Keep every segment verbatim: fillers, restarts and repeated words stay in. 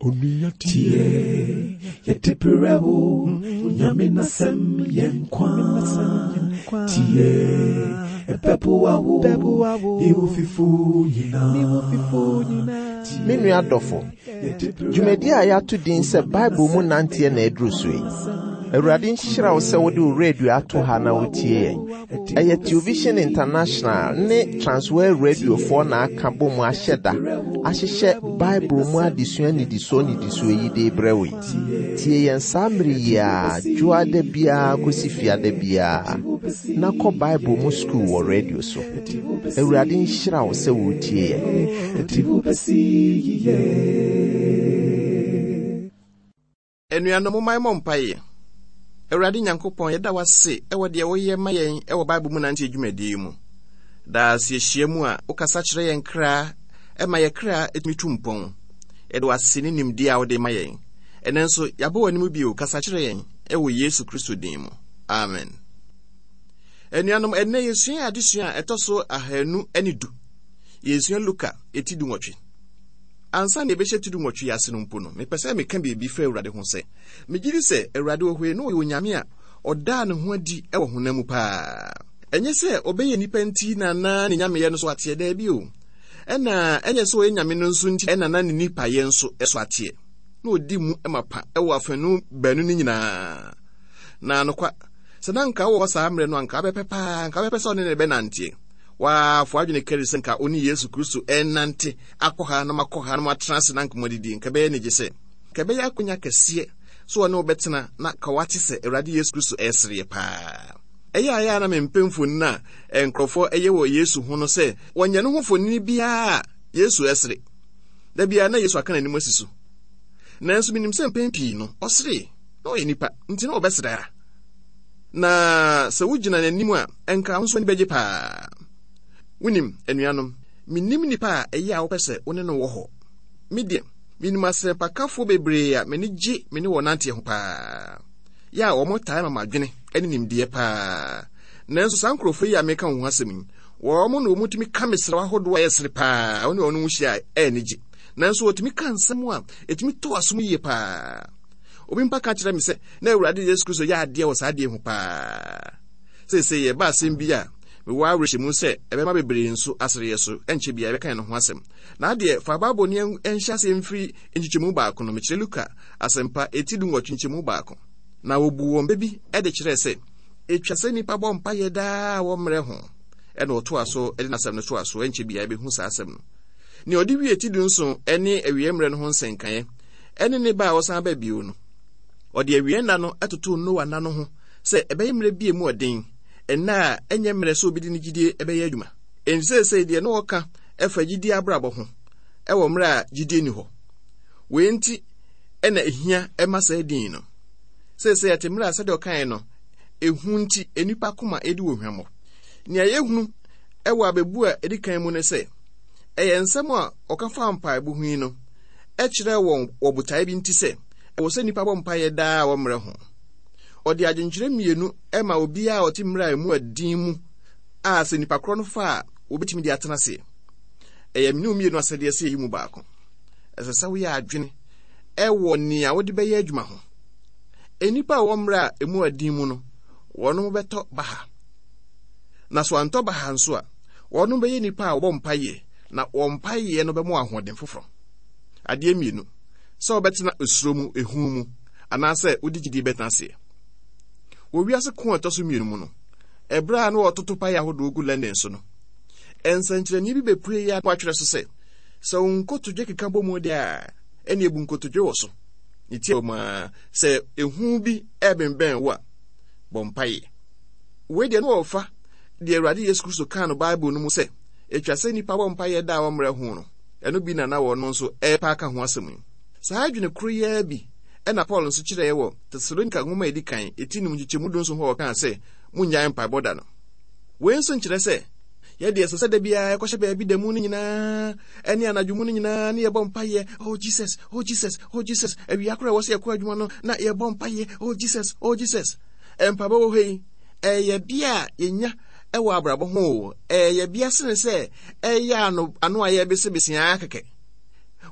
Onua tie, yɛde brɛ wo, Nyame n'asɛm yɛ nkwa. Tie, ɛbɛboa wo, ne wo fifo nyinaa. Me nua dɔfo, dwumadi a yɛato din sɛ Bible mu nanteɛ na aduru so yi. Awurade nhyira wo sɛ wode wo radio ato ha na wotie yɛn. Ɛyɛ Television International ne Transworld Radiofoɔ na aka bɔ mu ahyɛ da ahyehyɛ Bible mu adesua nnidisoɔ nnidisoɔ yi de brɛ wo yi. Tie yɛn saa mmere yi a dwoada biara kɔsi fiada biara na kɔ Bible mu sukuu wɔ radio so. Awurade nhyira wo sɛ wotie yɛn. Ɛde wo bɛsi yiye. Anuanom, momma yɛmmɔ mpaeɛ. Awurade Nyankopɔn, yɛda wo ase ɛwɔ deɛ woyɛ ma yɛn ɛwɔ Bible mu nante dwumadie yi mu. Daa sɛ yɛhyia mu a, wokasa kyerɛ yɛn kra, ɛma yɛ kra ɛtumi tu mpɔn. Yɛde wo ase ne nimdeɛ a wode ma yɛn. Ɛnɛ nso, yɛabɔ w'anim bio, kasa kyerɛ yɛn ɛwɔ Yesu Kristo din mu. Amen. Anuanom, ɛnɛ yɛsua adesua a ɛtɔ so ahanu ne du. Yɛsua Luka eti dunwɔtwe. Ansa na yɛbɛhyɛ ti dunwɔtwe yi ase no mpo no, mepɛ sɛ meka biribi fa Awurade ho sɛ, megye di sɛ Awurade wɔ hɔ yi na ɔyɛ Onyame a ɔdaa ne ho adi wɔ honam mu paa. Ɛnyɛ sɛ ɔbɛyɛ nnipa nti na na ne nyameyɛ no so ateɛ, daabi o. Ɛna ɛnyɛ sɛ ɔyɛ nyame no nso nti ɛna na ne nipayɛ nso so ateɛ. Na ɔdi mu ma pa ɛwɔ afanu baanu no nyinaa. Na nokwa, sɛ na nka wɔ saa mmerɛ no anka wobɛpɛ paa, nka wobɛpɛ sɛ ɔne ne bɛnanteɛ. Waafo adwene kari sɛ nka ɔne Yesu Kristo ɛnante akɔ ha na makɔ ha na matena ase na nka moadidi, nka ɛbɛyɛ anigye sɛ nka ɛbɛyɛ akonya kɛseɛ so ɔne wo bɛtena na ka wate sɛ Awurade Yesu Kristo ɛresereɛ paa. Ɛyɛ a ɛyɛ a na mempɛ mfonini a nkurɔfoɔ ɛyɛ wɔ Yesu ho no sɛ wɔnyɛ no ho mfonini biara a Yesu ɛsere. Da biara na Yesu aka n'anim asi so. Nanso menim sɛ mpɛn pii no ɔsere na ɔyɛ nipa nti na ɔbɛsere ara. Na sɛ wogyina n'anim a ɛnka wo nso ani bɛgye paa. Wonim, anuanom, menim nipa a ɛyɛ a wopɛ sɛ wo ne no wɔ hɔ. Me deɛ, menim asɛmpakafoɔ bebree a m'ani gye me ne wɔn nanteɛ ho paa. Yɛ a wɔn taa ma m'adwene ne nimdeɛ paa. Nanso saa nkurɔfoɔ yi a meka wɔn ho asɛm yi, wɔn na wɔtumi ka mesrɛ ahodoɔ a ɛyɛ sere paa, wɔne wɔn ho hyia a ɛyɛ anigye. Nanso wɔtumi ka nsɛm a ɛtumi tɔ asom yie paa. Obi mpa ka kyerɛ me sɛ na Awurade Yesu Kristo yɛ adeɛ wɔ saa adeɛ ho paa. Seesei yɛba asɛm bi a mewɔ awerɛhyɛmu sɛ ɛbɛma bebree nso asereɛ so, ɛnkyɛ biara yɛbɛka yɛn ho asɛm. Na adeɛ, fa Bible ne ɛnhyɛ aseɛ mfiri nkyekyɛmu baako no, mekyerɛ Luka asɛmpa eti dunwɔtwe nkyekyɛmu baako. Na wɔbu wɔn bɛ bi de kyerɛɛ sɛ ɛtwa sɛ nnipa bɔ mpaeɛ daa a wɔmmerɛ ho. Ɛna ɔtoa so de n'asɛm no toa so, ɛnkyɛ biara yɛbɛhu saa asɛm no. Nea ɔde wie ti dunson ne awie mmerɛ no ho nsɛnkaeɛ ɛne ne ba a ɔsan ba bio no. Ɔde awie nna no totoo Noa nna no ho sɛ ɛbɛyɛ mmerɛ bi emu ɔden, nna a ɛnyɛ mmerɛ sɛ obi de ne gyidie ɛbɛyɛ adwuma. Enti seesei deɛ na ɔka ɛfa gyidie abrabɔ ho ɛwɔ mmerɛ a gyidie ni hɔ. Wei nti ɛna ehia ɛma saa din no. Seesei ɛte mmerɛ a sɛdeɛ ɔkaeɛ no, ehu nti nnipa koma edi wɔ hwammɔ. Nea yɛhunu ɛwɔ abɛbu a edi kan mu ne sɛ, ɛyɛ nsɛm a ɔka fa mpaebɔ ho yi no ɛkyerɛ wɔn wɔ botae bi nti sɛ ɛwɔ sɛ nnipa bɔ mpaeɛ daa a wɔmmerɛ ho. Ɔde adwenkyerɛ mmienu ɛma obiara a ɔte mmerɛ a emu ɛden mu a sɛ nnipa korɔ no fa a wɔbɛtumi de atena aseɛ. Ɛyɛ mene mmienu asɛdeɛ sɛ ɛyi mu baako. Ɛsɛ sɛ woyɛ adwene ɛwɔ nea wode bɛyɛ adwuma ho. Nnipa a wɔwɔ mmerɛ a emu ɛden mu no, wɔn bɛtɔ baha. Na so antɔ baha nso a, wɔn bɛyɛ nnipa a wɔbɔ mpaeɛ, na wɔn mpaeɛ no bɛma ahoɔden foforɔ. Adeɛ mmienu, sɛ wɔbɛtena esuro mu, ehu mu, anaasɛ wode gyidie bɛtena aseɛ. Wɔ wiase ko a ɛtɔ so mmienu mu no, ɛberɛ a na wɔtoto paeɛ ahodoɔ gu London so no, nsɛnkyerɛnneɛ bi bɛpue yi a wɔatwerɛ so sɛ, sɛ wo nkotodwe keka bɔ mu deɛ a, ɛne ebu nkotodwe wɔ so. Ne tie wɔ mu a, sɛ ehu bi ɛbɛnbɛn wo a, bɔ mpaeɛ. Wei deɛ na wɔfa deɛ Awurade Yesu Kristo kaa no Bible no mu sɛ, ɛtwa sɛ nnipa bɔ mpaeɛ da a wɔmmerɛ ho no, ɛno bi na na wɔn nso ɛrepa aka ho asɛm yi. Saa adwene koro yi ara bi ɛna Paul nso kyerɛɛ wɔ Tesalonika nwoma a edi kan eti num nkyekyɛmu du nson hɔ a ɔkaa sɛ munnyae mpaebɔ da no. Wei nso nkyerɛ sɛ yɛde ɛsɛ sɛ da biara yɛkɔhyɛ baabi da mu no nyinaa ɛne anadwo mu no nyinaa ne yɛbɔ mpaeɛ, oh Jesus, oh Jesus, oh Jesus. Awia koraa ɛwɔ sɛ yɛkɔ adwuma no na yɛbɔ mpaeɛ, oh Jesus, oh Jesus. Mpaebɔ wɔ hɔ yi, ɛyɛ bea a yɛnya ɛwɔ abrabɔ ho o, ɛyɛ bea sene sɛ ɛyɛ ano ano a yɛbesebese ara kɛkɛ.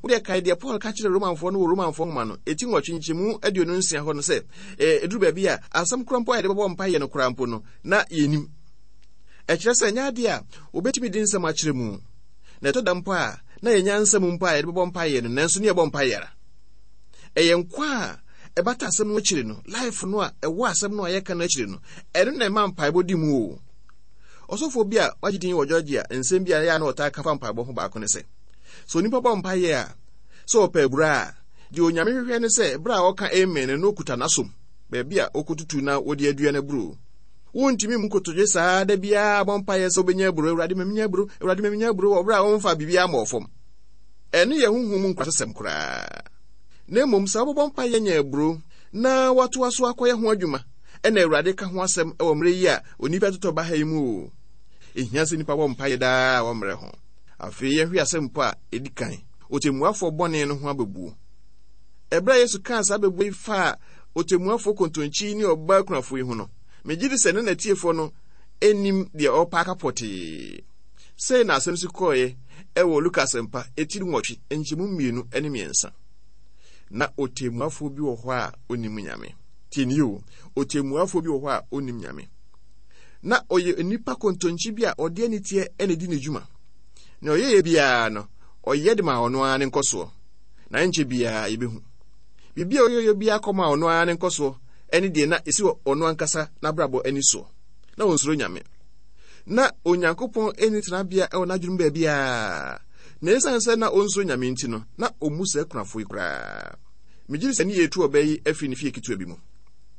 Wode kae deɛ Paul ka kyerɛ Romanfoɔ no wɔ Romanfoɔ nwoma no ɛti nwɔtwe nkyɛmu aduonu nsia hɔ no sɛ, ɛduru baabi a asɛm kora mpo a yɛde bɛbɔ mpaeɛ no koraa mpo no, na yɛnim. Ɛkyerɛ sɛ ɛnyɛ adeɛ a wobɛtumi de nsɛm akyerɛ mu. Na ɛtɔ da mpo a na yɛnya nsɛm mpo a yɛde bɛbɔ mpaeɛ no, nanso ne yɛbɔ mpaeɛ ara. Ɛyɛ nkwa a ɛbata asɛm no akyiri no, life no a ɛwɔ asɛm no a yɛka no akyiri no, ɛno na ɛma mpaebɔ di mu o. Ɔsɔfoɔ bi a wagye din wɔ Georgia, nsɛm bi a ɛyɛ a na ɔtaa ka fa mpaebɔ ho baako ne sɛ, sɛ onipa bɔ mpaeɛ a, sɛ ɔpɛ abura a, deɛ Onyame hwehwɛ ne sɛ berɛ a ɔka amen no, na ɔkuta n'asom, baabi a ɔkɔtutu na wɔde adua no aburo. Wontumi mu nkotodwe saa da biara bɔ mpaeɛ sɛ wobɛnya aburo, Awurade ma menya aburo, Awurade ma menya aburo, wɔ berɛ a wɔmfa biribiara mmɔɔ fam. Ɛno yɛ honhom mu nkurasɛsɛm koraa. Na mmom sɛ wobɛbɔ mpaeɛ anya aburo na woatoa so akɔyɛ ho adwuma, ɛna Awurade ka ho asɛm wɔ mmerɛ yi a onipa totɔ ba ha yi mu o. Ɛhia sɛ nnipa bɔ mpaeɛ daa wɔ mmerɛ ho. Afei yɛhwɛ asɛm mpo a ɛdi kan, ɔtɛmmuafoɔ bɔne no ho abɛbuo. Ɛberɛ a Yesu kaa saa abɛbuo yi faa ɔtɛmmuafoɔ kontonkyi ne ɔbaa kunafoɔ yi ho no, megye di sɛ ne n'atiefoɔ no nnim deɛ ɔrepa aka pɔtee. Sei na asɛm si kɔeɛ ɛwɔ Luka Asɛmpa etiri nwɔtwe nkyɛmu mmienu ne mmiɛnsa. Na ɔtɛmmuafoɔ bi wɔ hɔ a ɔnnim Nyame. Tie nie o, ɔtɛmmuafoɔ bi wɔ hɔ a ɔnnim Nyame. Na ɔyɛ nipa kontonkyi bi a ɔde aniteɛ na ɛdi ne dwuma. Na ɔyɛyɛ biara no, ɔyɛ de ma ɔno ara ne nkɔsoɔ. Na ɛnkyɛ biara yɛbɛhu. Biribi a ɔyɛyɛ biara kɔma ɔno ara ne nkɔsoɔ ɛne deɛ na ɛsi ɔno ankasa n'abrabɔ ani soɔ. Na ɔnsuro Nyame. Na Onyankopɔn ani tenabea ɛwɔ n'adwenem baabiara. Na ɛsiane sɛ na ɔnsuro Nyame nti no, na ɔmmu saa kunafoɔ yi koraa. Megye di sɛ ne yɛtu ɔbaa yi afiri ne fie ketewa bi mu.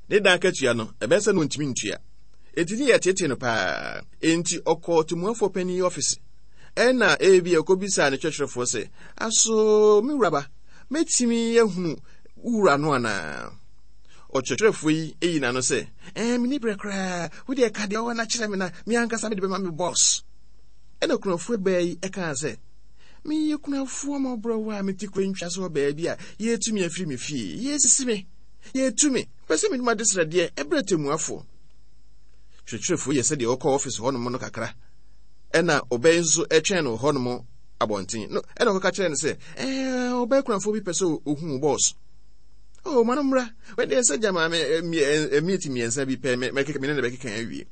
Ne dan akatua no, ɛbɛyɛ sɛ na ɔntumi ntua. Enti ne yɛtetee no paa. Enti ɔkɔɔ tɛmmuafoɔ panin yi ɔfise. Ɛna ebi ɔkɔbisaa ne kyerɛkyerɛfoɔ sɛ, aso me wuraba, mɛtumi ahunu wura no anaa? Ɔkyerɛkyerɛfoɔ yi eyi n'ano sɛ, ɛɛ menni berɛ koraa, wo deɛ ka deɛ ɔwɔ no akyerɛ me na me ankasa mede bɛma me bɔs. Ɛna kunafoɔ baa yi ɛkaa sɛ, meyɛ kunafoɔ ma ɔborɔwɔ a mete kuro ntwa so wɔ baabi a yɛtumi afiri me fie, yɛsisi me, yɛtu me, pɛ sɛ menom adesrɛdeɛ ɛberɛ tɛmmuafoɔ. Kyerɛkyerɛfoɔ yɛ sɛdeɛ ɔkɔ ɔfise hɔnom no kakra. Ɛna ɔbaa yi nso ɛtwɛn no hɔnom abɔnten. No, ɛna ɔkɔka kyerɛ no sɛ, ɛɛ ɔbaa kunafoɔ bi pɛ sɛ ohun bɔs. Oh, ma no mmra. Wɔde sɛ gya maame mmiɛnti mmiɛnsa bi pɛ mɛkeka me ne ne bɛkeka awie.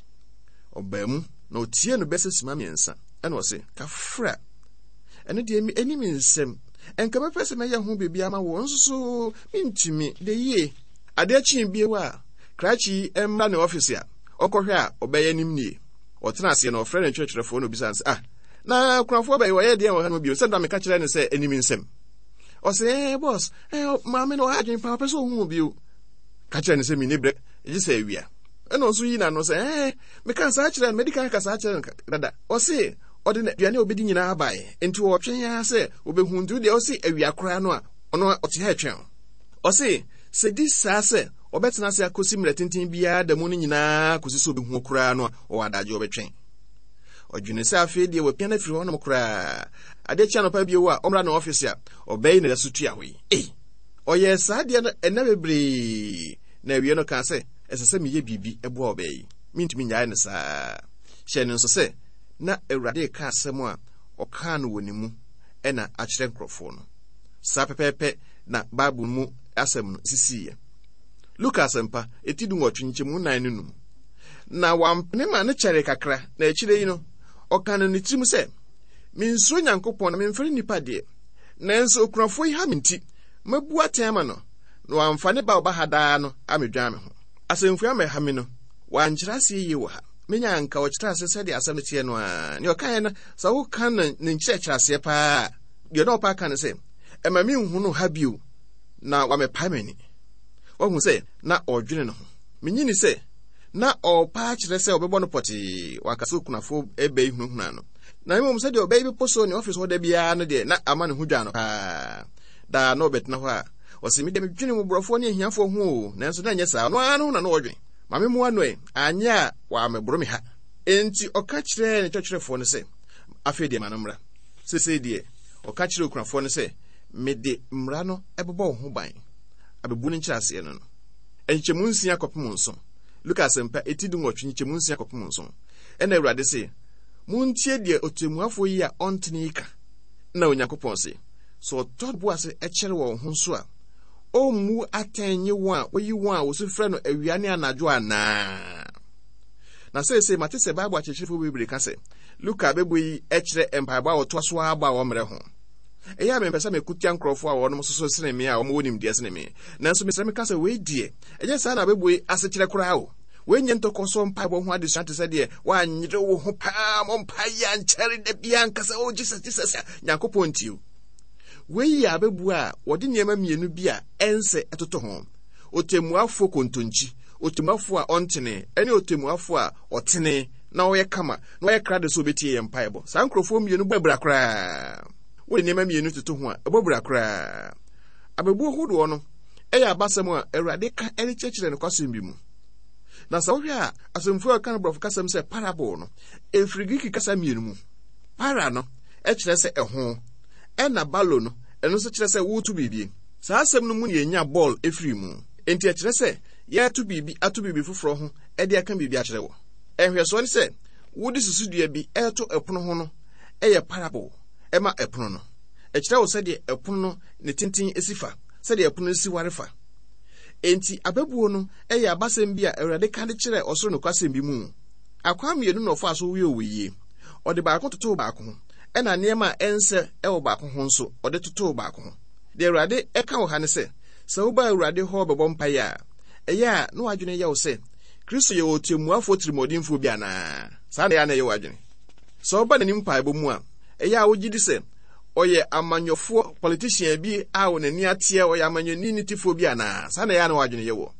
Ɔbaa mu na ɔtie no bɛsɛ sima mmiɛnsa. Ɛna ɔse, kafra. Ɛno deɛ ɛni me nsɛm. Ɛnka mɛpɛ sɛ mɛyɛ ho biribi ama wo nso so mentumi de yie. Adeɛ kyee bio a, krakye yi mmra ne ɔfise a, ɔkɔhwɛ a ɔbɛyɛ nim nie. Ɔtena aseɛ na ɔfrɛ ne kyerɛkyerɛfoɔ na obisa no sɛ, ah, na kunafoɔ bɛyɛ wɔyɛ deɛ wɔ ha no bio sɛ da meka kyerɛ no sɛ ɛni me nsɛm. Ɔsɛ, eh, boss, eh, maame no ɔha adwene paa, ɔpɛ sɛ ɔhu bio. Ka kyerɛ no sɛ menni berɛ, gye sɛ awia. Ɛna ɔnso yi n'ano sɛ, eh, meka saa kyerɛ no, medi kan ka saa kyerɛ no dada. Ɔse, ɔde aduane a ɔbɛdi nyinaa baeɛ, nti ɔtwɛn ara sɛ ɔbɛhu. Nti wodeɛ ɔse awia koraa no a, ɔno ɔte ha ɛtwɛn. Ɔse, sɛ di saa sɛ ɔbɛtena ase akɔsi mmerɛ tenten biara da mu no nyinaa kɔsi sɛ ɔbɛhu koraa no a, ɔwɔ adagye ɔbɛtwɛn. Ɔdwene sɛ afei deɛ wapia no afiri hɔnom koraa. Adeɛ kye anɔpa bio a, ɔmmra ne ɔfise a, ɔbɛyi na so tua hɔ yi. Ei! Ɔyɛɛ saa deɛ no ɛnna bebree, na awie no kaa sɛ, ɛsɛ sɛ meyɛ biribi boa ɔbaa yi. Mentumi nnyae no saa. Hyɛ no nso sɛ, na Awurade reka asɛm a ɔkaa no wɔ ne mu ɛna akyerɛ nkurɔfoɔ no. Saa pɛpɛɛpɛ na Bible mu asɛm no sisiiɛ. Luka Asɛmpa, eti dunwɔtwe nkyɛmu nnan ne num. Na wampene ma no kyɛree kakra, na akyire yi no, ɔka no ne tirim sɛ, mensuro Nyankopɔn na memfɛre nnipa deɛ, nanso okunafoɔ yi ha me nti, mabu atɛn ama no, na wamfa ne ba a ɔba ha daa no amedwan me ho. Asɛmfua mɛha me no, wankyerɛ aseɛ yie wɔ ha. Menya anka ɔkyerɛ ase sɛdeɛ asɛm no teɛ no ara. Nea ɔkaeɛ no, sɛ woka no ne nkyerɛkyerɛ aseɛ paa a, deɛ na ɔpa aka no sɛ, ɛma menhu no ha bio na wamɛpae m'ani. Wahu sɛ na ɔredwene ne ho. Menyini sɛ na ɔrepa akyerɛ sɛ ɔbɛbɔ no pɔtee, waka sɛ okunafoɔ ɛbɛ yi hunahuna no. Na mmom sɛdeɛ ɔbɛyi bepɔ so ne ɔfis hɔ da biara no deɛ, na ama ne ho dwa no paa. Daa na ɔbɛtena hɔ a, ɔse, me deɛ medwene mmɔborɔfoɔ ne ahiafoɔ ho o, nanso na ɛnyɛ saa, ɔno ara no ho na na ɔdwene. Ma me mmoa no ɛ, anyɛ a wɔamɛboro me ha. Enti ɔka kyerɛɛ ne kyerɛkyerɛfoɔ no sɛ, afei deɛ ma no mmra. Seesei deɛ, ɔka kyerɛɛ okunafoɔ no sɛ, mede mmara no bɛbɔ wo ho ban. Abɛbu no nkyerɛaseɛ no no. Nkyɛmu nsia kɔpem nson. Luka Asɛmpa, eti dunwɔtwe, nkyɛmu nsia kɔpem nson. Ɛna Awurade se, montie deɛ ɔtɛmmuafoɔ yi a ɔntene yi ka. Na Onyankopɔn se, Sɛ ɔtɔ bo ase kyɛre wɔn ho nso a, ɔmmu atɛn nye wɔn a woyi wɔn a wɔsu frɛ no awia ne anadwo anaa? Na seesei mate sɛ Bible akyerɛkyerɛfo bebree ka sɛ Luka abɛbɔ yi kyerɛ mpaebɔ a wɔtoa so abɔ a wɔmmerɛ ho. Ɛyɛ a mempɛ sɛ mekutia nkurɔfoɔ a wɔnom soso sene me a wɔwɔ nimdeɛ sene me. Nanso mesrɛ meka sɛ wei deɛ, ɛnyɛ saa na abɛbɔ yi asekyerɛ koraa o. Wei nyɛ ntɔkɔso mpaebɔ ho adesua te sɛ deɛ woanyere wo ho paa mɔ mpaeɛ ankyɛre da biara nka sɛ oh Jesus, Jesus a Nyankopɔn ntie o. Wei yɛ abɛbu a wɔde nneɛma mmienu bi a ɛnsɛ ɛtoto ho. Otemmuafoɔ kontonkyi, otemmuafoɔ a ɔntene, ɛne otemmuafoɔ a ɔtene na ɔyɛ kama na ɔyɛ krado sɛ obetie yɛn mpaebɔ. Saa nkurɔfoɔ mmienu bɔ abira koraa. Wode nneɛma mmienu toto ho a, ɛbɔ abira koraa. Abɛbuo hodoɔ no ɛyɛ abasɛm a Awurade ka de kyerɛkyerɛ nokwasɛm bi mu. Na sɛ wohwɛ a, asɛmfua a ɔka no borɔfo kasɛm sɛ parable no, ɛfiri Greek kasa mmienu mu. Para no ɛkyerɛ sɛ ɛho, ɛna ballo no, ɛno nso kyerɛ sɛ woreto biribi. Saa asɛm no mu na yɛnya bɔɔl ɛfiri mu. Enti ɛkyerɛ sɛ yɛreto biribi ato biribi foforɔ ho de aka biribi akyerɛ wo. Nhwɛsoɔ ne sɛ wode susudua bi ɛreto ɛpono ho no ɛyɛ parable ɛma ɛpono no. Ɛkyerɛ wo sɛdeɛ ɛpono no ne tenten si fa, sɛdeɛ ɛpono no si ware fa. Enti abɛbuo no ɛyɛ abasɛm bi a Awurade ka de kyerɛ ɔsoro nokwasɛm bi mu. Akwan mmienu na ɔfaa so wiee wɔ yie. Ɔde baako totoo baako ho, ɛna nneɛma a ɛnsɛ ɛwɔ baako ho nso ɔde totoo baako ho. Deɛ Awurade ɛka wɔ ha ne sɛ, sɛ woba Awurade hɔ bɛbɔ mpaeɛ a, ɛyɛ a na w'adwene yɛ wo sɛ Kristo yɛ ɔtemmuafoɔ tirimɔdenfoɔ bi anaa? Saa na ɛyɛ a na ɛyɛ w'adwene. Sɛ woba n'anim mpaebɔ mu a, ɛyɛ a wogye di sɛ ɔyɛ amanyɔfoɔ politician bi a wɔn ani ateɛ, ɔyɛ amanyɔni ne tifoɔ bi anaa? Saa na ɛyɛ a na w'adwene yɛ wɔ.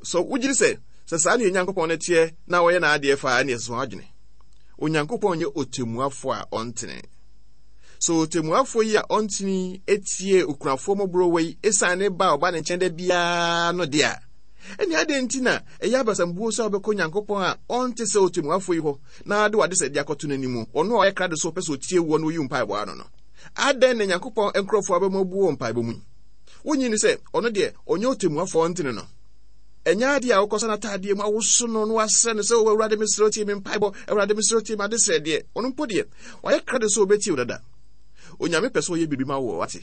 So wogye di sɛ sɛ saa ne Onyankopɔn no teɛ na ɔyɛ n'adeɛ fa a, ɛne ɛsɛ w'adwene. Onyankopɔn nyɛ ɔtemmuafoɔ a ɔntene. So ɔtemmuafoɔ yi a ɔntene etie okunafoɔ mmɔborɔwa yi esiane ne ba a ɔba ne nkyɛn da biara no deɛ a, ɛne adɛn nti na ɛyɛ abasambuo sɛ wobɛkɔ Onyankopɔn a ɔnte sɛ ɔtemmuafoɔ yi hɔ na ade w'ade sɛ de akɔto n'anim, ɔno a ɔyɛ krado sɛ ɔpɛ sɛ ɔtie woɔ na ɔyi wo mpaebɔ ano no? Adɛn na Nyankopɔn nkurɔfoɔ abɛma abuo wɔ mpaebɔ mu yi? Wonnye nni sɛ ɔno deɛ ɔnyɛ ɔtemmuafoɔ a ɔntene no? Ɛnyɛ adeɛ a wokɔsa n'ataadeɛ mu awoso no na wasrɛ no sɛ, o Awurade mesrɛ wo tie me mpaebɔ, Awurade mesrɛ wo tie me adesrɛ deɛ. Ɔno mpo deɛ, wayɛ krado sɛ ɔbɛtie wo dada. Onyame pɛ sɛ ɔyɛ biribi ma wo, wate?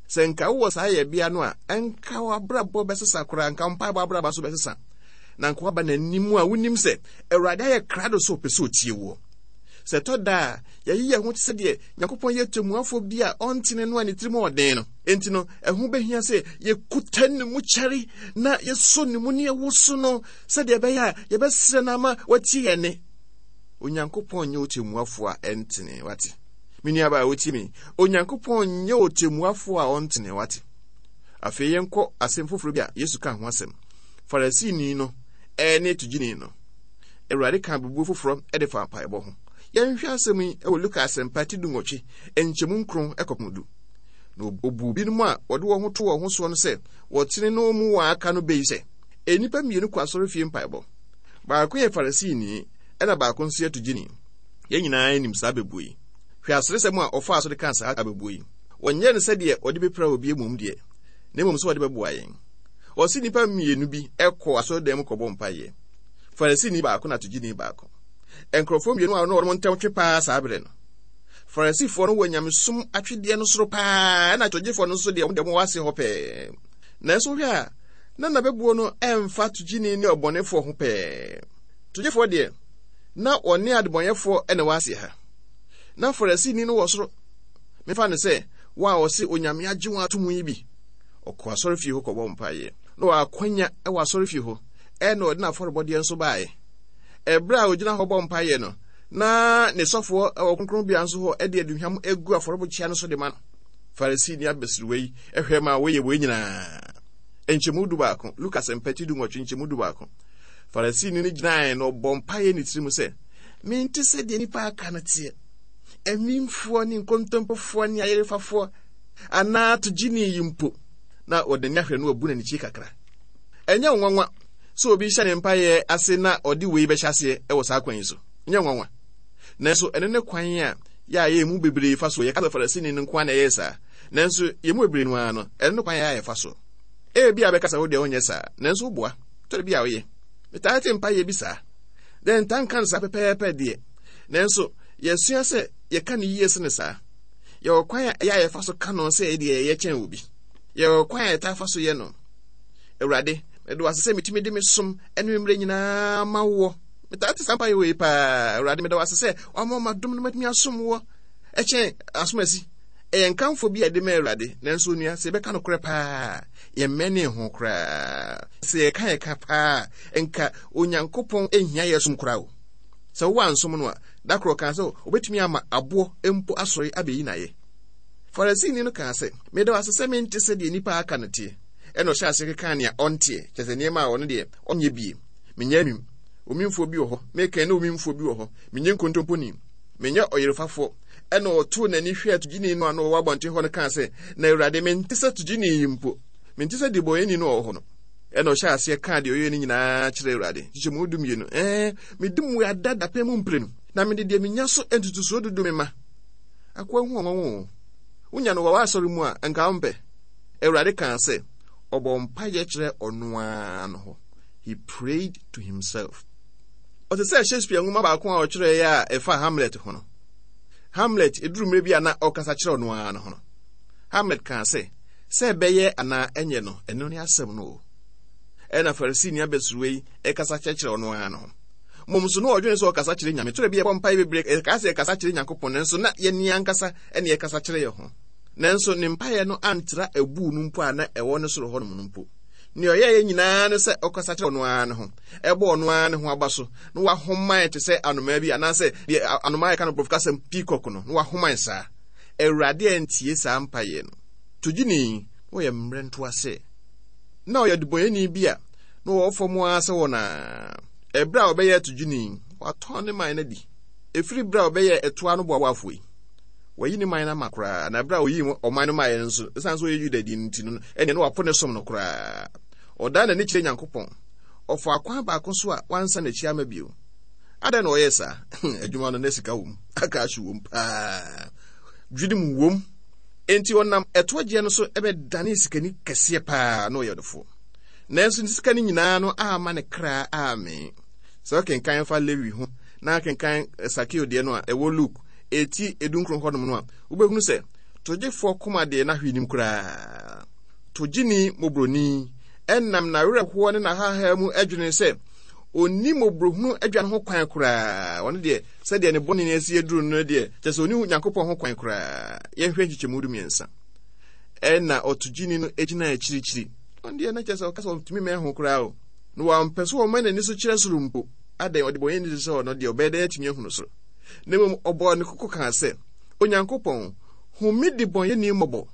Sɛ nka wowɔ saa yɛbea no a, nka w'abrabɔ bɛsesa koraa, nka wo mpaebɔ abrabɔ nso bɛsesa. Na nka woaba n'anim a wonim sɛ Awurade ayɛ krado sɛ ɔpɛ sɛ ɔtie woɔ. Sɛ ɛtɔ da a, yɛyi yɛn ho te sɛ deɛ Nyankopɔn yɛ temmuafoɔ bi a ɔntene no a ne tirim ɔden no. Enti no, ɛho bɛhia sɛ yɛkuta ne mu kyɛre na yɛsɔ ne mu ne yɛwoso no sɛdeɛ ɛbɛyɛ a yɛbɛsrɛ no ama watie yɛn nne. Onyankopɔn nyɛ ɔtemmuafoɔ a ɛntene, wate? Me nuabaa a wotie me, Onyankopɔn nyɛ ɔtemmuafoɔ a ɔntene, wate? Afei yɛnkɔ asɛm foforɔ bi a Yesu ka ho asɛm. Farisini no ne togyini no. Awurade ka abebuo foforɔ de fa mpaebɔ ho. Yɛnhwɛ asɛm yi wɔ Luka Asɛmpa ti dunwɔtwe, nkyɛmu nkron kɔpem du. Na obuu binom a wɔde wɔn ho to wɔn ho soɔ no sɛ wɔtene no mu wɔn aka no bɛ yi sɛ, nnipa mmienu kɔ asɔrefie mpaebɔ. Baako yɛ Farisini, ɛna baako nso yɛ togyini. Yɛn nyinaa nim saa abɛbuo yi. Hwɛ aseresɛm a ɔfaa so de kaa saa abɛbuo yi. Wɔnyɛɛ no sɛdeɛ ɔde bɛpira obi mmom deɛ, na mmom sɛ ɔde bɛboa yɛn. Ɔse nnipa mmienu bi kɔɔ asɔredan mu kɔbɔ mpaeɛ. Farisini baako na togyini baako. Nkurɔfoɔ mmienu a na wɔn ntam twe paa saa berɛ no. Farisifoɔ no wɔ nyamesom atwedeɛ no soro paa, ɛna togyefoɔ no nso deɛ wɔn deɛ wɔwɔ ase hɔ pɛɛ. Nanso wohwɛ a, na n'abɛbuo no ɛmfa togyini ne ɔbɔnefoɔ ho pɛɛ. Togyefoɔ deɛ, na wɔne adebɔnyɛfoɔ na ɛwɔ aseɛ ha. Na Farisini no wɔ soro. Mefa no sɛ wɔn a wɔse Onyame agye wɔn ato mu yi bi. Ɔkɔ asɔrefie hɔ kɔbɔ mpaeɛ. Na ɔwɔ akwanya wɔ asɔrefie hɔ, ɛna ɔde n'afɔrebɔdeɛ nso baeɛ. Ɛberɛ a ɔgyina hɔ bɔ mpaeɛ no, na ne sɔfoɔ wɔ kronkronbea nso hɔ de aduhwam gu afɔrebukyia no so de ma no. Farisini abasiriwa yi hwɛ ma wɔyɛ wei nyinaa. Nkyɛmu du baako, Luka Asɛmpa ti du nwɔtwe nkyɛmu du baako. Farisini no gyinae na ɔbɔ mpaeɛ ne tirim sɛ, mente sɛ deɛ nnipa aka no teɛ. Amimfoɔ ne nkontompofoɔ ne ayerefafoɔ anaa togyeni yi mpo. Na ɔde n'ani ahwɛ no abu n'anikyi kakra. Ɛnyɛ nwanwa sɛ obi hyɛ ne mpaeɛ ase na ɔde wei bɛhyɛ aseɛ wɔ saa kwan yi so. Nyɛ nwanwa. Nanso ɛno ne kwan a yɛ a yɛn mu bebree fa so. Yɛka sɛ Farisini no nko ara na ɛyɛɛ saa. Nanso yɛn mu bebree no ara no, ɛno ne kwan a yɛfa so. Ebia bɛka sɛ wo deɛ wonyɛ saa, nanso woboa. Tɔre bi a woyɛ. Metaa te mpaeɛ bi saa. Dɛn ntaa nka no saa pɛpɛɛpɛ deɛ. Nanso yɛasua sɛ yɛka no yie sene saa. Yɛwɔ kwan a ɛyɛ a yɛfa so ka no sɛ ɛyɛ deɛ yɛyɛ kyɛn obi. Yɛwɔ kwan a yɛtaa fa so yɛ no. Awurade, mede wo ase sɛ metumi de me som ne me mmerɛ nyinaa ma woɔ. Metaa te saa mpaeɛ wei paa. Awurade, meda wo ase sɛ woama m'adom no matumi asom woɔ ɛkyɛn asomasi. Ɛyɛ nkamfo bi a yɛde ma Awurade, nanso onua, sɛ yɛbɛka nokorɛ paa, yɛmmɛnee ho koraa. Sɛ yɛka yɛka paa, nka Onyankopɔn nhia yɛ som koraa o. Sɛ wowɔ ansom no a, da koro ɔkaa sɛ obetumi ama aboɔ mpo asɔre abɛyi n'ayɛ. Farisini no kaa sɛ, meda wo ase sɛ mente sɛ deɛ nnipa aka no teɛ. Ɛna ɔhyɛ ase keka nea ɔnteɛ, kyerɛ sɛ nneɛma a ɔno deɛ ɔnyɛ bie. Menyɛ amim. Omimfoɔ bi wɔ hɔ. Meka ne omimfoɔ bi wɔ hɔ. Menyɛ nkontomponi. Menyɛ ɔyerefafoɔ. Ɛna ɔtoo n'ani hwɛɛ togyeni no a na ɔwɔ abɔnten hɔ no kaa sɛ, na Awurade, mente sɛ togyeni yi mpo. Mente sɛ debɔneyɛni no a ɔwɔ hɔ no. Ɛna ɔhyɛ aseɛ kaa deɛ ɔyɛ no nyinaa kyerɛ Awurade. Kyekyɛmu du mmienu. Ɛɛ, medi mmuada dapɛn mu mprenu, na mede deɛ menya so ntotosoɔ dudu mema. Akoa hu ɔnwanwa o. Wonya no wɔ w'asɔre mu a, nka wompɛ. Awurade kaa sɛ, ɔbɔ mpaeɛ kyerɛ ɔno ara no hɔ. He prayed to himself. Ɔte sɛ Shakespeare nwoma baako a ɔkyerɛeɛ a ɛfa Hamlet ho no. Hamlet, ɛduru mmerɛ bi a na ɔkasa kyerɛ ɔno ara no ho no. Hamlet kaa sɛ, sɛ ɛbɛyɛ anaa ɛnyɛ no, ɛno ne asɛm no o. Ɛna Farisini abɛsuruwa yi ɛkasa kyerɛkyerɛ ɔno ara no ho. Mmom so na ɔdwene sɛ ɔkasa kyerɛ Nyame. Twerɛ bi yɛbɔ mpaeɛ bebree, ɛkaa sɛ yɛkasa kyerɛ Nyankopɔn, nanso na yɛne ankasa ɛne yɛkasa kyerɛ yɛn ho. Nanso ne mpaeɛ no antra abuu no mpo a na ɛwɔ ne soro hɔnom no mpo. Nea ɔyɛeɛ nyinaa ne sɛ ɔkasa kyerɛ ɔno ara ne ho, ɛbɔ ɔno ara ne ho aba so, na wahoman te sɛ anomaa bi, anaasɛ deɛ anomaa yɛka no borɔfo kasɛm peacock no, na wahoman saa. Awurade antie saa mpaeɛ no. Togyini, na ɔyɛ mmerɛntoa sɛ. Na ɔyɛ debɔnyɛni bi a na ɔwɔ fam ara sɛ wɔn a. Ɛberɛ a ɔbɛyɛɛ togyini, watɔn ne man no adi. Ɛfiri berɛ a ɔbɛyɛɛ ɛtoa no boaboafoɔ yi, wayi ne man no ama koraa. Na berɛ a ɔyii ɔman no maeɛ no nso, ɛsiane sɛ ɔyɛ Yudani no nti no, ɛnneɛ na wapo ne som no koraa. Ɔdan n'ani kyerɛ Nyankopɔn. Ɔfaa kwan baako so a wansan n'akyi ama bio. Adɛn na ɔyɛɛ saa? Adwuma no na sika wom, akaahye wom paa, dwirim wom. Enti ɔnam ɛtoɔgyeɛ no so bɛdanee sikani kɛseɛ paa na ɔyɛ ɔdefoɔ. Nanso ne sika no nyinaa no amma ne kra ammee. Sɛ wokenkan fa Lewi ho na kenkan Sakeo deɛ no a ɛwɔ Luke eti edunkron hɔnom no a, wobɛhunu sɛ togyefoɔ koma deɛ na hwee nim koraa. Togyeni mmɔborɔni ɛnam n'awerɛhoɔ ne n'ahahaa mu adwene sɛ ɔnni mmɔborɔhunu adwa no ho kwan koraa. Ɔno deɛ, sɛdeɛ ne bɔne no asi aduru no deɛ, kyerɛ sɛ ɔnni Nyankopɔn ho kwan koraa. Yɛnhwɛ nkyekyɛmu du mmiɛnsa. Ɛna ɔtogyeni no gyina akyirikyiri. Ɔno deɛ na kyerɛ sɛ ɔka sɛ ɔntumi mmɛn ho koraa o. Na wampɛ sɛ ɔma n'ani so kyerɛ soro mpo. Adɛn, ɔdebɔneyɛni te sɛ ɔno deɛ, ɔbɛyɛ dɛn atumi ahunu soro? Na mmom ɔbɔɔ ne koko kaa sɛ, Onyankopɔn, hu me debɔneyɛni mmɔbɔ.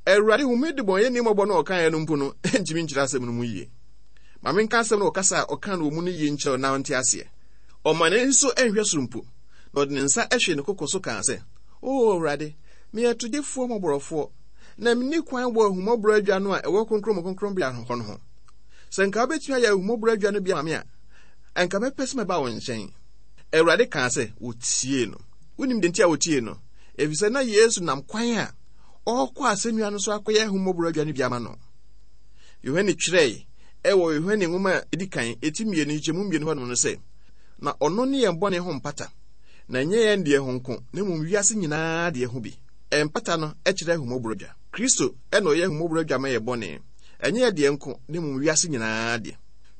Awurade, hu me debɔneyɛni mmɔbɔ no a ɔkaeɛ no mpo no, ntumi nkyerɛ asɛm no mu yie. Ma menka asɛm no wɔ kasa a ɔka no wɔ mu no yie nkyerɛ wo na wonte aseɛ. Ɔma n'ani so nhwɛ soro mpo, na ɔde ne nsa hwee ne koko so kaa sɛ, O Awurade, meyɛ togyefoɔ mmɔborɔfoɔ, na menni kwan wɔ ahummɔborɔ adwa no a ɛwɔ Kronkron mu Kronkronbea hɔ no ho. Sɛ nka wobɛtumi ayɛ ahummɔborɔ adwa no bi ama me a, anka mɛpɛ sɛ mɛba wo nkyɛn. Awurade kaa sɛ wɔtiee no. Wonim deɛ nti a wɔtiee no? Ɛfiri sɛ na Yesu nam kwan a ɔrekɔ asɛnnua no so akɔyɛ ahummɔborɔ adwa no bi ama no. Yohane twerɛe ɛwɔ Yohane nwoma a ɛdi kan eti mmienu nkyekyɛmu mmienu hɔnom no sɛ, na ɔno ne yɛn bɔne ho mpata, na ɛnyɛ yɛn deɛ ho nko, na mmom wiase nyinaa deɛ ho bi. Mpata no kyerɛ ahummɔborɔ adwa. Kristo na ɔyɛ ahummɔborɔ adwa ma yɛ bɔne, ɛnyɛ yɛ deɛ nko, na mmom wiase nyinaa deɛ.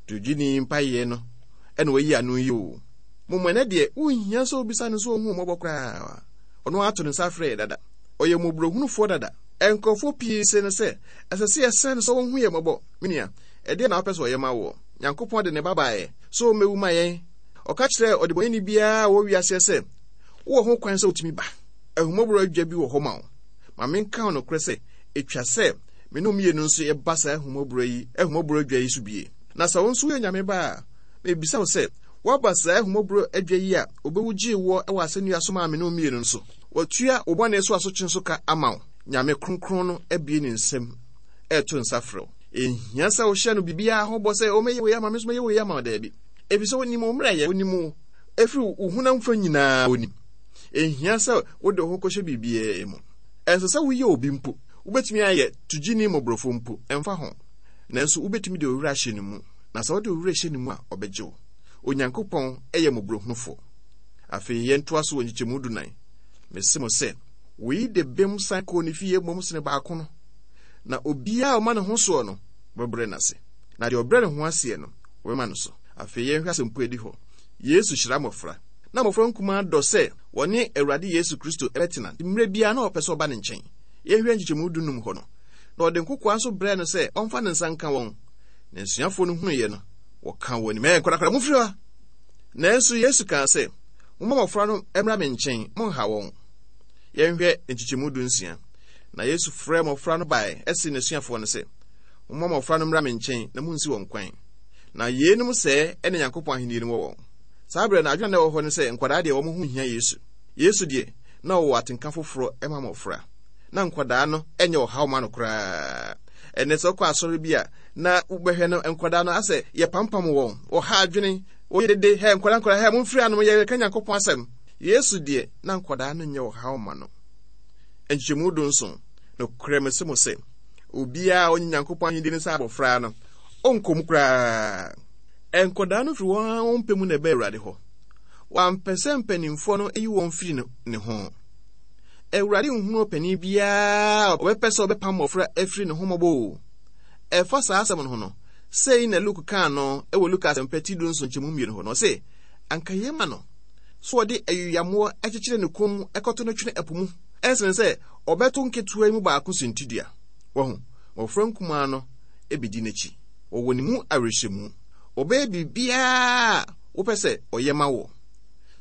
Togyeni mpaeɛ no ɛna wayi ano yi o. Mmom ɛnɛ deɛ, wonhia sɛ wobisa no sɛ ɔhu mmɔbɔ koraa. Ɔno ato ne nsa afrɛ yɛ dada. Ɔyɛ mmɔborɔhunufoɔ dada. Nkurɔfoɔ pii se no sɛ, ɛsɛ sɛ yɛsrɛ no sɛ ɔnhu yɛn mmɔbɔ. Me nua, ɛdeɛn na wopɛ sɛ ɔyɛ ma woɔ? Nyankopɔn de ne ba baeɛ sɛ ɔmmɛwu ma yɛn. Ɔka kyerɛɛ ɔdebɔneyɛni biara a ɔwɔ wiaseɛ sɛ, wowɔ ho kwan sɛ wotumi ba. Ahummɔborɔ adwa bi wɔ hɔ ma wo. Ma menka wo nokorɛ sɛ, ɛtwa sɛ me ne wo mmienu nso yɛba saa ahummɔborɔ yi, ahummɔborɔ adwa yi so bie. Na sɛ wo nso woyɛ Nyame ba a, mebisa wo sɛ, woaba saa ahummɔborɔ adwa yi a ɔbɛwu gyee woɔ wɔ asɛnnua so maa me ne wo mmienu no so? Watua wo bɔne so asotwe nso ka ama wo. Nyame kronkron no abue ne nsam ɛreto nsa frɛ wo. Ɛnhia sɛ wohyɛ no biribiara ho bɔ sɛ, o mɛyɛ wei ama me nso mɛyɛ wei ama wo, daabi. Ɛfiri sɛ ɔnim wo mmerɛyɛ, ɔnim wo ɛfiri wo honam fa nyinaa ɔnim. Ɛnhia sɛ wode wo ho kɔhyɛ biribiara mu. Ɛnsɛ sɛ woyɛ obi mpo. Wobɛtumi ayɛ togyeni mmɔborɔfoɔ mpo, ɛmfa ho. Nanso wobɛtumi de wo werɛ ahyɛ ne mu, na sɛ wode wo werɛ hyɛ ne mu a, ɔbɛgye wo. Onyankopɔn yɛ mmɔborɔhunufoɔ. Afei yɛntoa so wɔ nkyekyɛmu dunan. Mese mo sɛ, Wei de bem san kɔɔ ne fie mmom sene baako no. Na obiara a ɔma ne ho soɔ no, wɔbɛbrɛ n'ase. Na deɛ ɔbrɛ ne ho aseɛ no, wɔbɛma no so. Afei yɛnhwɛ asɛmpo adi hɔ. Yesu hyira mmɔfra. Na mmɔfra nkumaa dɔ sɛ wɔne Awurade Yesu Kristo bɛtena. Mmerɛ biara na ɔpɛ sɛ ɔba ne nkyɛn. Yɛnhwɛ nkyekyɛmu dunum hɔ no. Na ɔde nkokoaa nso brɛɛ no sɛ ɔmfa ne nsa nka wɔn. Na asuafoɔ no hunuiɛ no, wɔka wɔn anim, ɛɛ nkwadaa mofiri hɔ. Nanso Yesu kaa sɛ, momma mmɔfra no mmra me nkyɛn, monnha wɔn. Yɛnhwɛ nkyekyɛmu dunsia. Na Yesu frɛɛ mmɔfra no bae, ɛse n'asuafoɔ no sɛ, momma mmɔfra no mmra me nkyɛn na munnsi wɔn kwan. Na yeinom sɛɛ ɛne Nyankopɔn ahenni no wɔ wɔn. Saa berɛ no, adwene na ɛwɔ hɔ ne sɛ nkwadaa deɛ wɔn ho hia Yesu. Yesu deɛ, na ɔwɔ atenka foforɔ ma mmɔfra. Na nkwadaa no nyɛ ɔhaw ma no koraa. Ɛnɛ sɛ wokɔ asɔre bi a, na wobɛhwɛ no nkwadaa no asɛ yɛpampam wɔn, wɔha adwene, wɔyɛ dede, hɛ nkwadaa nkwadaa, hɛ momfiri anom, yɛreka Nyankopɔn asɛm. Yesu deɛ, na nkwadaa no nyɛ ɔhaw ma no. Nkyekyɛmu dunson, nokorɛ mese mo sɛ, obiara a ɔnye Nyankopɔn ahenni no sɛ abɔfra no, ɔnkɔ mu koraa. Nkwadaa no firi wɔn ara wɔn pɛ mu na ɛbaa Awurade hɔ. Wɔampɛ sɛ mpanimfoɔ no yi wɔn firi ne ho. Awurade nhunu ɔpanin biara a ɔbɛpɛ sɛ ɔbɛpam mmɔfra afiri ne ho mmɔbɔ o. Ɛfa saa asɛm no ho no, sei na Luke kaa no wɔ Luka asɛmpa ti du nson nkyɛmu mmienu hɔ no, ɔse, anka yɛ ma no so ɔde ayuyammoɔ akyekyere ne kɔn mu ɛkɔto no twene ɛpo mu, ɛnsene sɛ ɔbɛto nketewa yi mu baako suntidua. Wahu, mmɔfra nkumaa no ebedi n'akyi. Wɔwɔ ne mu awerɛhyɛmu. Ɔbɛyɛ biribiara a wopɛ sɛ ɔyɛ ma wo.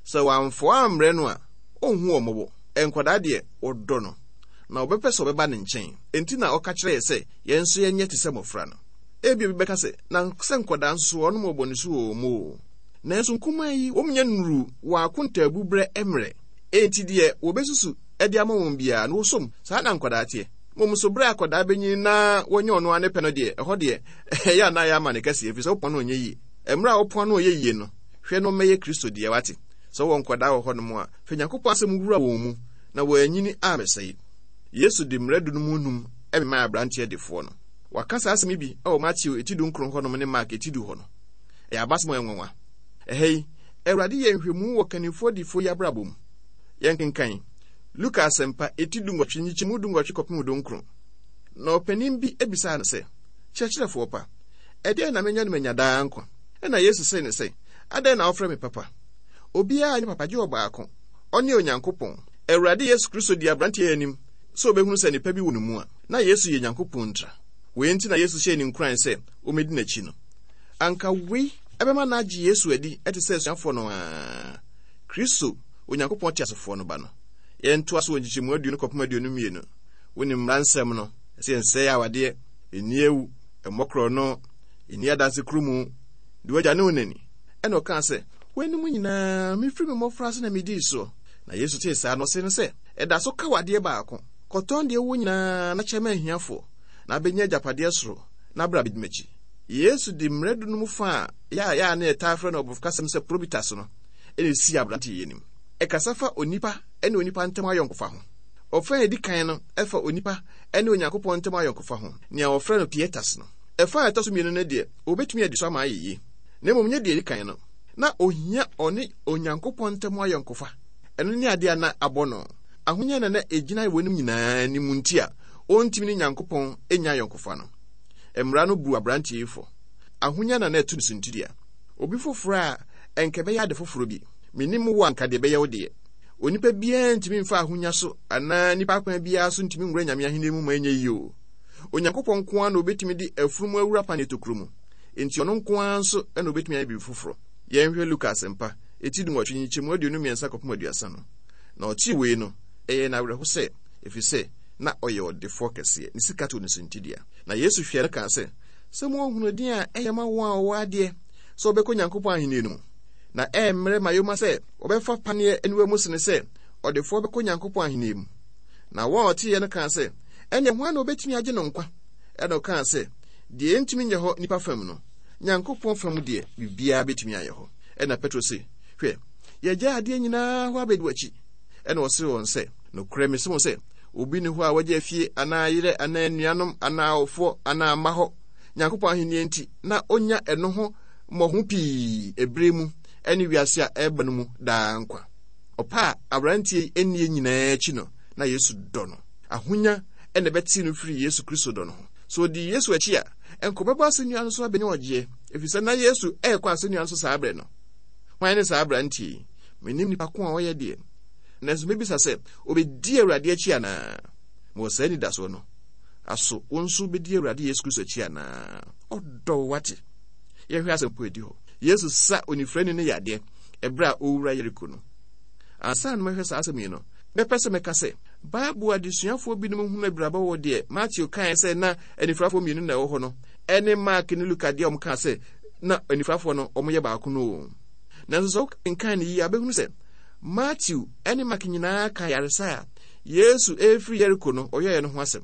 Sɛ wamfoa ammrɛ no a, ɔnhu wɔn mmɔbɔ. Nkwadaa deɛ, wɔdɔ no, na wɔbɛpɛ sɛ ɔbɛba ne nkyɛn. Enti na ɔka kyerɛ yɛ sɛ yɛn nso yɛnyɛ te sɛ mmɔfra no. Ebia obi bɛka sɛ, na sɛ nkwadaa nso so wɔnom wɔ bɔne su wɔ wɔn mu o. Nanso nkumaa yi, wɔn nyɛ nnuru wɔn akontaabu berɛ mmerɛ. Enti deɛ wɔbɛsusu de ama wɔn biara no, wɔsom. Saa na nkwadaa teɛ. Mmom nso berɛ a akwadaa bɛnyini na wɔnyɛ ɔno ara ne pɛ no deɛ, ɛhɔ deɛ, ɛyɛ a na ayɛ ama ne kɛseɛ, ɛfiri sɛ wopɔn no ɔnyɛ yie. Mmerɛ a wopɔn no ɔyɛ yie no, hwɛ no mmɛyɛ Kristo deɛ, wate. Sɛ wowɔ nkwadaa wɔ hɔnom a, fa Nyankopɔn asɛm wura wɔn mu, na wɔanyini ammɛsɛe. Yesu de mmara du no mu nnum memaa aberanteɛ defoɔ no. Waka saa asɛm yi bi wɔ Mateo eti dunkron hɔnom ne Mark eti du hɔ no. Ɛyɛ abasɛm a ɛyɛ nwanwa. Ɛha yi, Awurade yɛ nhwɛmu wɔ kannifoɔ difoɔ yi abrabɔ mu. Yɛnkenkan Luka asɛmpa eti dunwɔtwe nkyekyɛmu dunwɔtwe kɔpem dunkron. Na ɔpanin bi bisaa no sɛ, Kyerɛkyerɛfoɔ pa, ɛdeɛn na menya no manya daa nkwa? Ɛna Yesu see no sɛ, Adɛn na wofrɛ me papa? Obiara nyɛ papa gye ɔbaako, ɔne Onyankopɔn. Awurade Yesu Kristo di aberanteɛ yi anim sɛ obɛhunu sɛ nnipa bi wɔ ne mu a, na Yesu yɛ Nyankopɔn ntira. Wei nti na Yesu hyɛɛ ne nkuran sɛ ɔmmɛdi n'akyi no. Anka wei ɛbɛma no agye Yesu adi te sɛ asuafoɔ no ara, Kristo, Onyankopɔn teasefoɔ no ba no. Yɛntoa so wɔ nkyekyɛmu aduonu kɔpem aduonu mmienu. Wonim mmara nsɛm no, ɛsɛ yɛnsɛe awadeɛ, ɛnni awu, ɛmmɔ korɔno, ɛnni adanse kurumu, di w'agya ne wo na ni. Ɛna ɔkaa sɛ, weinom nyinaa, mefiri me mmɔfra ase na medii soɔ. Na Yesu tee saa no, ɔsee no sɛ, ɛda so ka w'adeɛ baako. Kɔtɔn deɛ wowɔ nyinaa na kyɛ ma ahiafoɔ, na abɛnya agyapadeɛ soro, na bra bɛdi m'akyi. Yesu de mmara du no mu fa a yɛ a yɛ a na yɛtaa frɛ no ɔborɔfo kasɛm sɛ probitas no ɛna ɛsii aberante yi anim. Ɛkasa fa onipa ne onipa ntam ayɔnkofa ho. Ɔfa a ɛdi kan no ɛfa onipa ne Onyankopɔn ntam ayɔnkofa ho, nea wɔfrɛ no pietas no. Ɛfa a ɛtɔ so mmienu no deɛ, wɔbɛtumi adi so ama ayɛ yie, na mmom nyɛ deɛ ɛdi kan no. Na ohia ɔne Onyankopɔn ntam ayɔnkofa. Ɛno ne adeɛ a na abɔ no. Ahonya na na ɛgyina wɔn nyinaa anim nti a ɔntumi ne Nyankopɔn nya ayɔnkofa no. Mmara no bu aberanteɛ yi fɔ. Ahonya na na ɛto no suntidua. Obi foforɔ a ɛnka ɛbɛyɛ ade foforɔ bi. Menim wo anka deɛ ɛbɛyɛ wo deɛ. Onipa biara ntumi mfa ahonya so anaa nipa akwan biara so ntumi nwura Nyame ahenni mu ma ɛnyɛ yie o. Onyankopɔn nko ara na obetumi de afunumu awura paneɛ tokuro mu. Enti ɔno nko ara nso na obetumi ayɛ biribi foforɔ. Yɛnhwɛ Luka asɛmpa, eti dunwɔtwe, nkyekyɛmu aduonu mmiɛnsa kɔpem aduasa no. Na ɔtee wei no, ɛyɛɛ no awerɛho sɛ, ɛfiri sɛ na ɔyɛ ɔdefoɔ kɛseɛ, ne sika too no suntidua. Na Yesu hwɛɛ no kaa sɛ, sɛ moahunu din a ɛyɛ ma wɔn a wɔwɔ adeɛ sɛ wɔbɛkɔ Nyankopɔn ahenni no mu. Na ɛremmrɛ ma yoma sɛ wɔbɛfa paneɛ aniwa mu sene sɛ ɔdefoɔ bɛkɔ Nyankopɔn ahenni mu. Na wɔn a wɔteeɛ no kaa sɛ, ɛnneɛ hwan na obetumi agye no nkwa? Ɛna ɔkaa sɛ, deɛ ɛntumi nyɛ hɔ nipa fam no, Nyankopɔn fam deɛ, biribiara bɛtumi ayɛ hɔ. Ɛna Petro se, hwɛ, yɛgyae adeɛ nyinaa hɔ abɛdi w'akyi. Ɛna ɔsee wɔn sɛ, nokorɛ mese mo sɛ, obi nni hɔ a wagya afie anaa yerɛ anaa anuanom anaa awofoɔ anaa mma hɔ Nyankopɔn ahenni nti, na onya ɛno ho mmɔho pii ɛberɛ mu ne wiase a ɛreba no mu daa nkwa. Ɔpɛ a aberanteɛ yi nnie nyinaa akyi no, Na Yesu dɔ no. Ahonya ɛna ɛbɛtee no firi Yesu Kristo dɔ no ho. So ɔdii Yesu akyi a, ɛnka ɔbɛbɔ asɛnnua no so abɛnya ɔgyeɛ, ɛfiri sɛ na Yesu ɛrekɔ asɛnnua no so saa berɛ no. Hwan ne saa aberanteɛ yi? Mennim nipa ko a ɔyɛ deɛ. Nanso mɛbisa sɛ, ɔbɛdi Awurade akyi anaa? Mewɔ saa anidasoɔ no. Aso wo nso bɛdi Awurade Yesu Kristo akyi anaa? Ɔdɔ wo, wate. Yɛhwɛ asɛm po adi hɔ. Yesu sa onifirani no yadeɛ ɛberɛ a ɔwura Yeriko no. Ansa na mɛhwɛ saa asɛm yi no, mɛpɛ sɛ mɛka sɛ Bible adesuafoɔ binom hunu abirabɔ wɔ deɛ Matthew kae sɛ na anifirafoɔ mmienu na ɛwɔ hɔ no ɛne Mark ne Luka deɛ wɔn kaa sɛ na anifirafoɔ no wɔn yɛ baako no o. Nanso sɛ wokenkan no yie a, wobɛhunu sɛ Matthew ne Mark nyinaa ka yaresa a Yesu ɛrefiri Yeriko no ɔyɛeɛ no ho asɛm.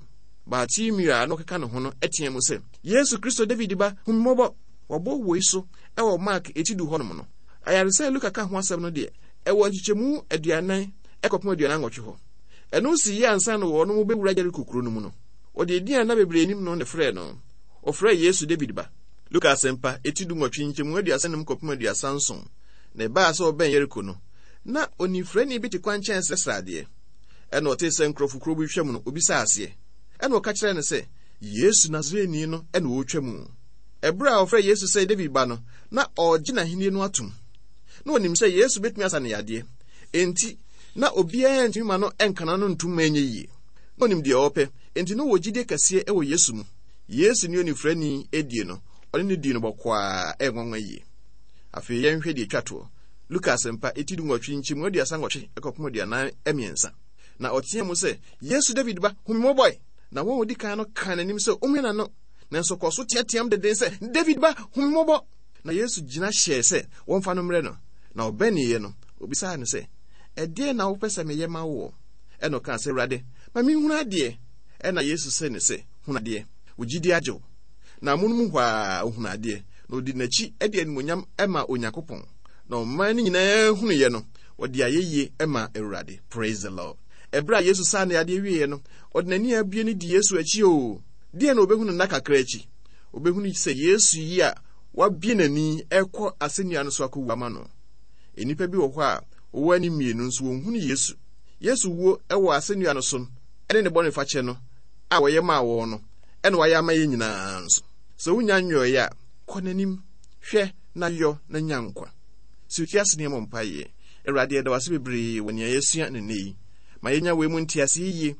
Bartimeo a na ɔkeka ne ho no teɛ mu sɛ, Yesu Kristo David ba, hu me mmɔbɔ! Wɔbɔ wei so wɔ Mark eti du hɔnom no. Ayaresa a Luka ka ho asɛm no deɛ, ɛwɔ nkyekyɛmu aduanan kɔpem aduanan nwɔtwe hɔ. Ɛno si yie ansa na wɔnom bɛwura Yeriko kuro no mu no. Wɔde edin a na bebree nim no na ɛfrɛɛ no. Wɔfrɛɛ Yesu David ba. Luka Asɛmpa, eti du nwɔtwe, nkyɛmu aduasa num kɔpem aduasa nson. Na ɛbaa sɛ ɔbɛn Yeriko no, na onifirani bi te kwankyɛn srɛsrɛ adeɛ. Ɛna ɔtee sɛ nkurɔfokuo bi retwam no, obisaa aseɛ. Ɛna ɔka kyerɛɛ no sɛ, Yesu Nasareni no na ɔretwa mu. Ɛberɛ a ɔfrɛɛ Yesu sɛ David ba no, na ɔregye n'ahennie no atom. Na ɔnim sɛ Yesu bɛtumi asa no yadeɛ. Enti, na obiara ntumi ma no nka n'ano ntom ma ɛnyɛ yie. Na ɔnim deɛ ɔrepɛ, enti na ɔwɔ gyidie kɛseɛ wɔ Yesu mu. Yesu ne onifirani die no, ɔne no dii no bɔkɔɔ a ɛyɛ nwanwa yie. Afei yɛnhwɛ deɛ ɛtwa toɔ. Luka Asɛmpa, eti du nwɔtwe, nkyɛmu aduasa nwɔtwe kɔpem aduanan mmiɛnsa. Na ɔteaa mu sɛ, Yesu David ba, hu me mmɔbɔ ɛ! Na wɔn a wɔdi kan no kaa n'anim sɛ ɔmmua n'ano, nanso ɔkɔɔ so teateaam denden sɛ, David ba, hu me mmɔbɔ! Na Yesu gyina hyɛɛ sɛ wɔmfa no mmrɛ no. Na ɔbɛneeɛ no, obisaa no sɛ, Ɛdeɛn na wopɛ sɛ meyɛ ma woɔ? Ɛnna ɔkaa sɛ, Awurade, ma menhunu adeɛ. Ɛnna Yesu see no sɛ, Hunu adeɛ, wo gyidie agye wo. Na amonom hɔ ara ɔhunuu adeɛ, na ɔdii n'akyi de animuonyam maa Onyankopɔn. Na ɔman no nyinaa hunuiɛ no, wɔde ayɛyie maa Awurade. Praise the Lord. Ɛberɛ a Yesu saa ne adeɛ wieeɛ no, ɔde n'ani abue no di Yesu akyi oo. Deɛn na ɔbɛhunu nna kakra akyi? Ɔbɛhunu sɛ Yesu yi a wabue n'ani rekɔ asɛnnua no so akɔwu ama no. Nnipa bi wɔ hɔ a wɔwɔ ani mmienu nso wɔnhunu Yesu. Yesu wuo wɔ asɛnnua no so ne ne bɔnefakyɛ no a wɔyɛ maa wɔn no ɛna wayɛ ama yɛn nyinaa nso. Sɛ wonya nyɔeɛ a, kɔ n'anim, hwɛ na yɔ na nya nkwa. Sɛ ofi ase ne yɛmmɔ mpaeɛ. Awurade, yɛda wo ase bebree wɔ nea yɛasua no nnɛ yi. Ma yɛnya wei mu nteaseɛ yie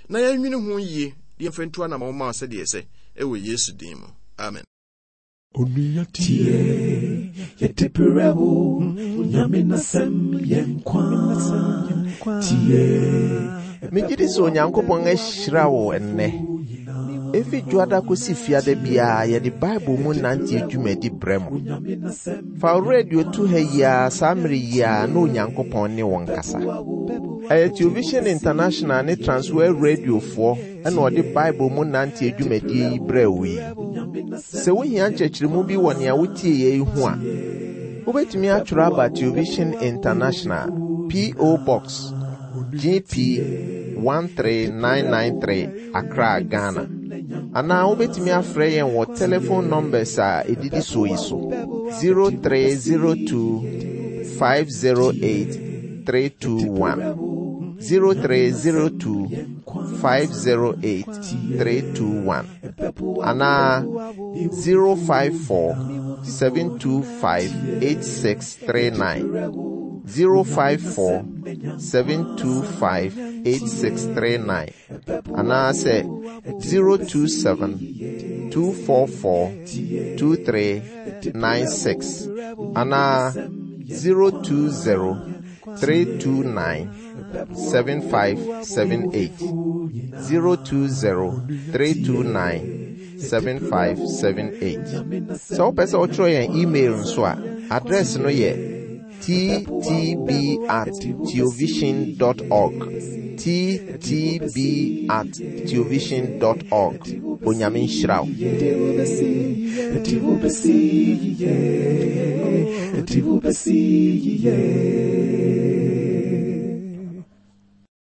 na yɛnwene ho yie de yɛmfa ntu anammɔn ma wo sɛdeɛ ɛsɛ ɛwɔ Yesu din mu. Amen. Onua tie, yɛde brɛ wo, Nyame n'asɛm yɛ nkwa. Tie. Megye di sɛ Onyankopɔn ahyira wo ɛnnɛ. Efi Dwoada kosi Fiada biara yɛde Bible mu nante dwumadi brɛ mo. Fa wo radio to ha yi ara saa mmere yi ara na Onyankopɔn ne wo nkasa. Ɛyɛ Television International ne Transworld Radiofoɔ ɛna ɔde Bible mu nante dwumadie yi brɛ wo yi. Sɛ wohia nkyerɛkyerɛmu bi wɔ nea wotie yɛ yi ho a, wobɛtumi atwerɛ aba Television International, P O. Box G P one three nine nine three, Accra, Ghana. Anaa wobɛtumi afrɛ yɛn wɔ telephone numbers a ɛdidi soɔ yi so: zero three zero two five zero eight three two one, zero three zero two five zero eight three two one, anaa zero five four seven two five eight six three nine, zero five four seven two five eight six three nine, anaasɛ zero two seven two four four two three nine six, anaa zero two zero three two nine seven five seven eight, zero two zero three two nine seven five seven eight. Sɛ wopɛ sɛ wotwerɛ yɛn email nso a, address no yɛ T T B at theovision dot org, T T B at theovision dot org. Onyame nhyira wo. Yɛde wo bɛsi, yɛde wo bɛsi yie, yɛde wo bɛsi yie.